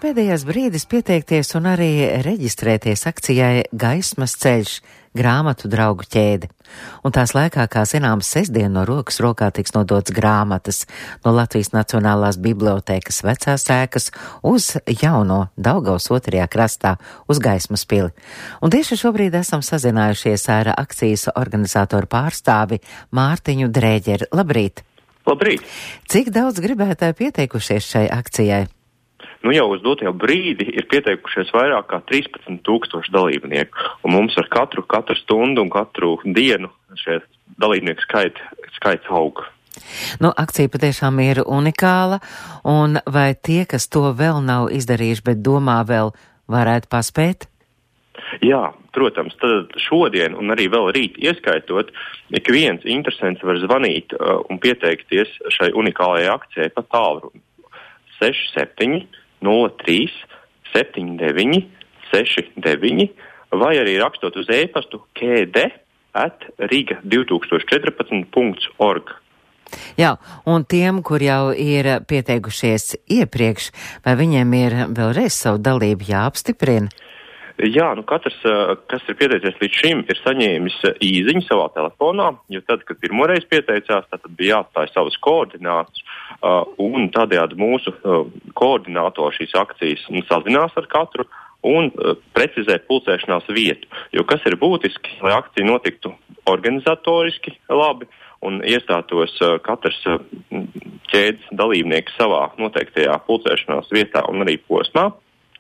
pēdējais brīdis pieteikties un arī reģistrēties akcijai Gaismas ceļš grāmatu draugu ķēde. Un tās laikā, kā zināms, sestdien no rokas rokā tiks nodots grāmatas no Latvijas Nacionālās bibliotēkas vecās ēkas uz jauno Daugavas otrajā krastā uz Gaismas pili. Un tieši šobrīd esam sazinājušies ar akcijas organizatoru pārstāvi Mārtiņu Drēģeri. Labrīt! Labrīt! Cik daudz gribētāji pieteikušies šai akcijai? Nu jau uz dotajā brīdi ir pieteikušies vairāk kā 13,000 dalībnieku, un mums ar katru stundu un katru dienu šie dalībnieku skaits aug. Nu, akcija patiešām ir unikāla, un vai tie, kas to vēl nav izdarījuši, bet domā vēl, varētu paspēt? Jā, protams, tad šodien un arī vēl rīt ieskaitot, ik viens interesants var zvanīt un pieteikties šai unikālajai akcijai pa tālruni 67 03 79 69 vai arī rakstot uz e-pastu kd@riga2014.org. Jā, un tiem, kur jau ir pieteikušies iepriekš, vai viņiem ir vēlreiz savu dalību jāapstiprina? Jā, nu katrs, kas ir pieteicies līdz šim, ir saņēmis īziņu savā telefonā, jo tad, kad pirmoreiz pieteicās, tad bija jāatstāj savas koordinātas, un tādējādi mūsu koordinātori šīs akcijas sazinās ar katru un precizē pulcēšanās vietu. Jo kas ir būtiski, lai akcija notiktu organizatoriski labi un iestātos katrs ķēdes dalībnieks savā noteiktajā pulcēšanās vietā un arī posmā,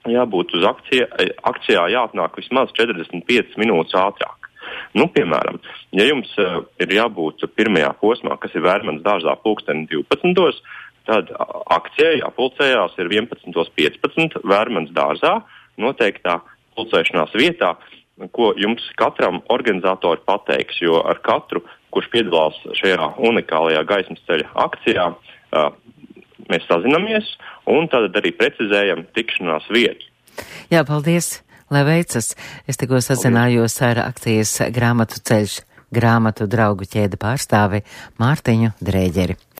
jābūt uz akcijā jāatnāk vismaz 45 minūtes ātrāk. Nu, piemēram, ja jums ir jābūt pirmajā posmā, kas ir Vērmanas dārzā pulksteni 12, tad akcijai jāpulcējās ir 11:15 Vērmanas dārzā noteiktā pulcēšanās vietā, ko jums katram organizatori pateiks, jo ar katru, kurš piedalās šajā unikālajā gaismas ceļa akcijā, mēs sazinamies un tad arī precizējam tikšanās vietu. Jā, paldies, lai veicas. Es tikko sazinājos ar akcijas grāmatu ceļš grāmatu draugu ķēde pārstāvi Mārtiņu Drēģeri.